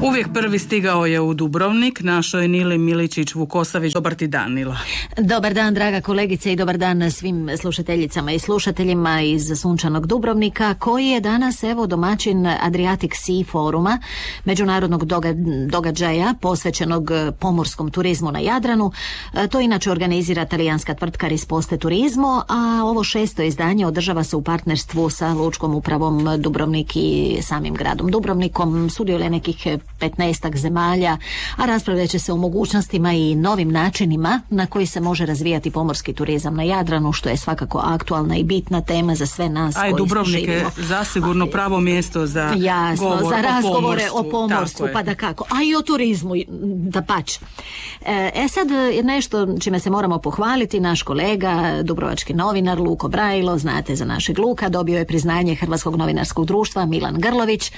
Uvijek prvi stigao je u Dubrovnik, našoj Nili Miličić-Vukosavić. Dobar ti dan, Nila. Dobar dan, draga kolegice, i dobar dan svim slušateljicama i slušateljima iz sunčanog Dubrovnika, koji je danas domaćin Adriatic Sea foruma, međunarodnog događaja posvećenog pomorskom turizmu na Jadranu. To inače organizira talijanska tvrtka Risposte Turizmo, a ovo 6. izdanje održava se u partnerstvu sa Lučkom upravom Dubrovnik i samim gradom Dubrovnikom. Sudjeluje nekih 15 zemalja, a raspravljat će se o mogućnostima i novim načinima na koji se može razvijati pomorski turizam na Jadranu, što je svakako aktualna i bitna tema za sve nas koji živimo. Dubrovnik je zasigurno pravo mjesto za za razgovore o pomorstvu, pa da kako, a i o turizmu, da pač. Sad nešto čime se moramo pohvaliti, naš kolega, dubrovački novinar Luko Brajlo, znate za našeg Luka, dobio je priznanje Hrvatskog novinarskog društva Milan Grlović.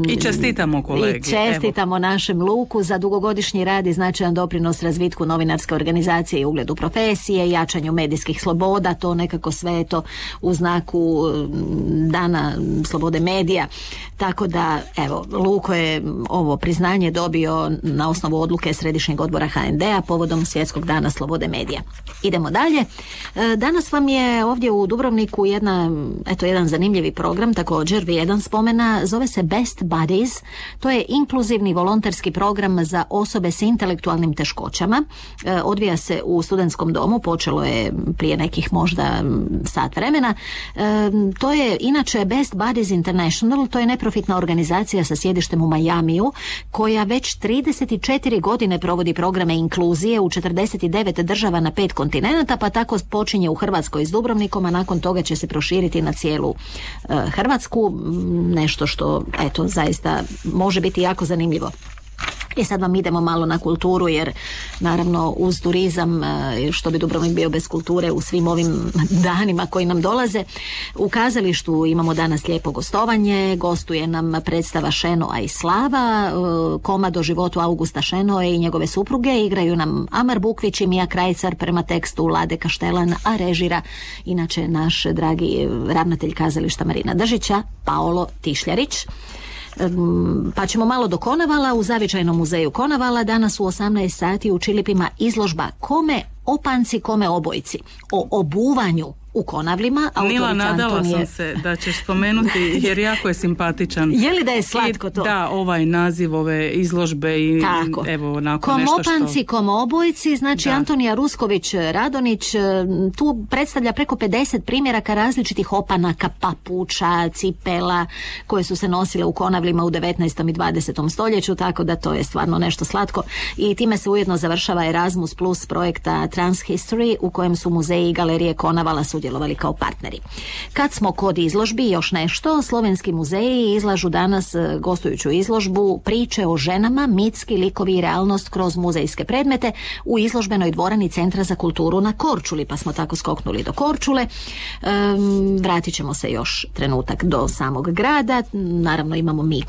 I čestitamo kolegi. I čestitamo našem Luku za dugogodišnji rad i značajan doprinos razvitku novinarske organizacije i ugledu profesije, jačanju medijskih sloboda, to nekako sve je to u znaku dana slobode medija. Tako da, Luko je ovo priznanje dobio na osnovu odluke Središnjeg odbora HND-a povodom Svjetskog dana slobode medija. Idemo dalje. Danas vam je ovdje u Dubrovniku jedan zanimljivi program, također vrijedan spomena, zove se Best Buddies. To je inkluzivni volonterski program za osobe s intelektualnim teškoćama. Odvija se u studentskom domu, počelo je prije nekih možda sat vremena. To je inače Best Buddies International, to je neprofitna organizacija sa sjedištem u Majamiju, koja već 34 godine provodi programe inkluzije u 49 država na 5 kontinenata, pa tako počinje u Hrvatskoj s Dubrovnikom, a nakon toga će se proširiti na cijelu Hrvatsku. Nešto što, zaista može biti jako zanimljivo. I sad vam idemo malo na kulturu, jer naravno uz turizam, što bi Dubrovnik bio bez kulture u svim ovim danima koji nam dolaze. U kazalištu imamo danas lijepo gostovanje, gostuje nam predstava Šenoa i Slava, komad o životu Augusta Šenoe i njegove supruge, igraju nam Amar Bukvić i Mija Krajcar prema tekstu Lade Kaštelan, a režira inače naš dragi ravnatelj kazališta Marina Držića, Paolo Tišljarić. Pa ćemo malo do Konavala. U zavičajnom muzeju Konavala danas u 18 sati u Čilipima izložba Kome opanci, kome obojci, o obuvanju u Konavlima. Nila, nadala sam se da ćeš spomenuti, jer jako je simpatičan. Je li da je slatko to? Da, ovaj naziv ove izložbe i tako. Onako nešto što... Komopanci, komobojci, znači da. Antonija Rusković Radonić tu predstavlja preko 50 primjeraka različitih opanaka, papuča, cipela koje su se nosile u Konavlima u 19. i 20. stoljeću, tako da to je stvarno nešto slatko. I time se ujedno završava Erasmus Plus projekta Transhistory, u kojem su muzeji i galerije Konavala sudjelovali kao partneri. Kad smo kod izložbi, još nešto, slovenski muzeji izlažu danas gostujuću izložbu Priče o ženama, mitski likovi i realnost kroz muzejske predmete u izložbenoj dvorani Centra za kulturu na Korčuli, pa smo tako skoknuli do Korčule. Vratit ćemo se još trenutak do samog grada. Naravno imamo mi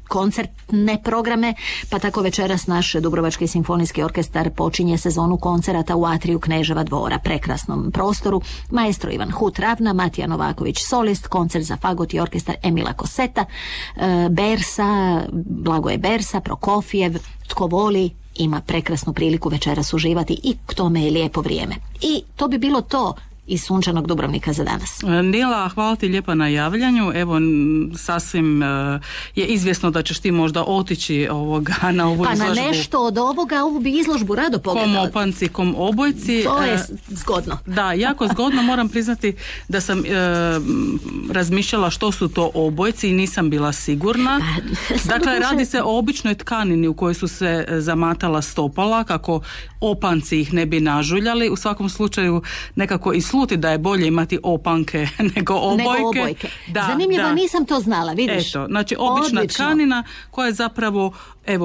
koncertne programe, pa tako večeras naš Dubrovački simfonijski orkestar počinje sezonu koncerata u atriju Kneževa dvora, prekrasnom prostoru. Maestro Ivan Hut Ravna, Matija Novaković solist, koncert za fagot i orkestar Emila Koseta, Bersa, Blagoje Bersa, Prokofijev, tko voli ima prekrasnu priliku večeras uživati i k tome je lijepo vrijeme. I to bi bilo to iz sunčanog Dubrovnika za danas. Nila, hvala ti lijepa na javljanju. Evo, sasvim je izvjesno da ćeš ti možda otići na ovu izložbu. Pa na nešto od ovu bi izložbu rado pogledala. Komopanci, komobojci. To je zgodno. Da, jako zgodno. Moram priznati da sam razmišljala što su to obojci i nisam bila sigurna. Dakle, radi se o običnoj tkanini u kojoj su se zamatala stopala, kako opanci ih ne bi nažuljali. U svakom slučaju nekako i sluti da je bolje imati opanke nego obojke. Da, zanimljivo, nisam to znala, vidiš. Eto, znači obična tkanina koja je zapravo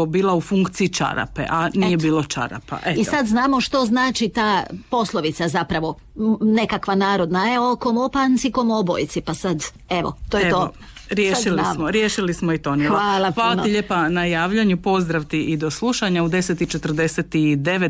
bila u funkciji čarape, a nije bilo čarapa. Eto. I sad znamo što znači ta poslovica zapravo, nekakva narodna, komopanci, komobojci, pa sad, to je to. Riješili smo i to, Nila. Hvala ti lijepa na javljanju, pozdrav ti i do slušanja u 10:49.